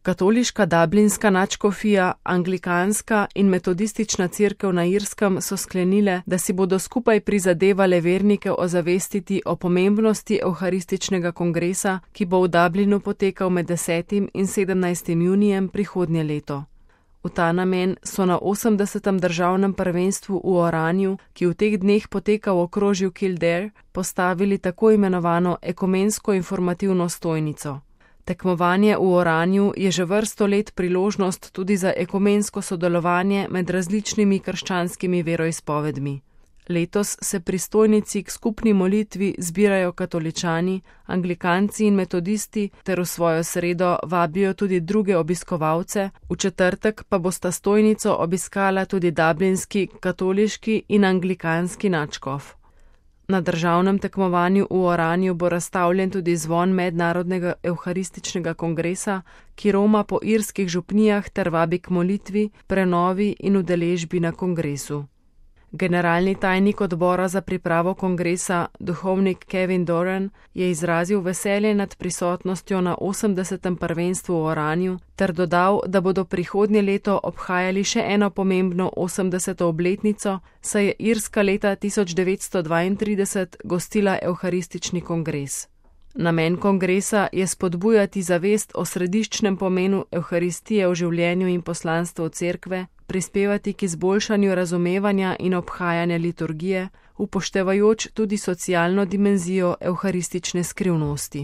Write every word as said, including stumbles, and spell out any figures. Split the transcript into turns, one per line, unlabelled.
Katoliška Dublinska nadškofija, anglikanska in metodistična cerkev na Irskem so sklenile, da si bodo skupaj prizadevale vernike ozavestiti o pomembnosti evharističnega kongresa, ki bo v Dublinu potekal med desetim in sedemnajstim junijem prihodnje leto. V ta namen so na osemdesetem državnem prvenstvu v Oranju, ki v teh dneh poteka v okrožju Kildare, postavili tako imenovano ekumensko informativno stojnico. Tekmovanje v Oranju je že vrsto let priložnost tudi za ekumensko sodelovanje med različnimi krščanskimi veroizpovedmi. Letos se pri stojnici k skupni molitvi zbirajo katoličani, anglikanci in metodisti ter v svojo sredo vabijo tudi druge obiskovalce, v četrtek pa bosta stojnico obiskala tudi dublinski, katoliški in anglikanski nadškof. Na državnem tekmovanju v Oranju bo razstavljen tudi zvon mednarodnega evharističnega kongresa, ki roma po irskih župnijah ter vabi k molitvi, prenovi in udeležbi na kongresu. Generalni tajnik odbora za pripravo kongresa, duhovnik Kevin Doran, je izrazil veselje nad prisotnostjo na osemdesetem prvenstvu v Oranju ter dodal, da bodo prihodnje leto obhajali še eno pomembno osemdeseto obletnico, saj je Irska leta tisoč devetsto dvaintrideset gostila evharistični kongres. Namen kongresa je spodbujati zavest o središčnem pomenu evharistije v življenju in poslanstvu cerkve, prispevati k izboljšanju razumevanja in obhajanja liturgije, upoštevajoč tudi socialno dimenzijo evharistične skrivnosti.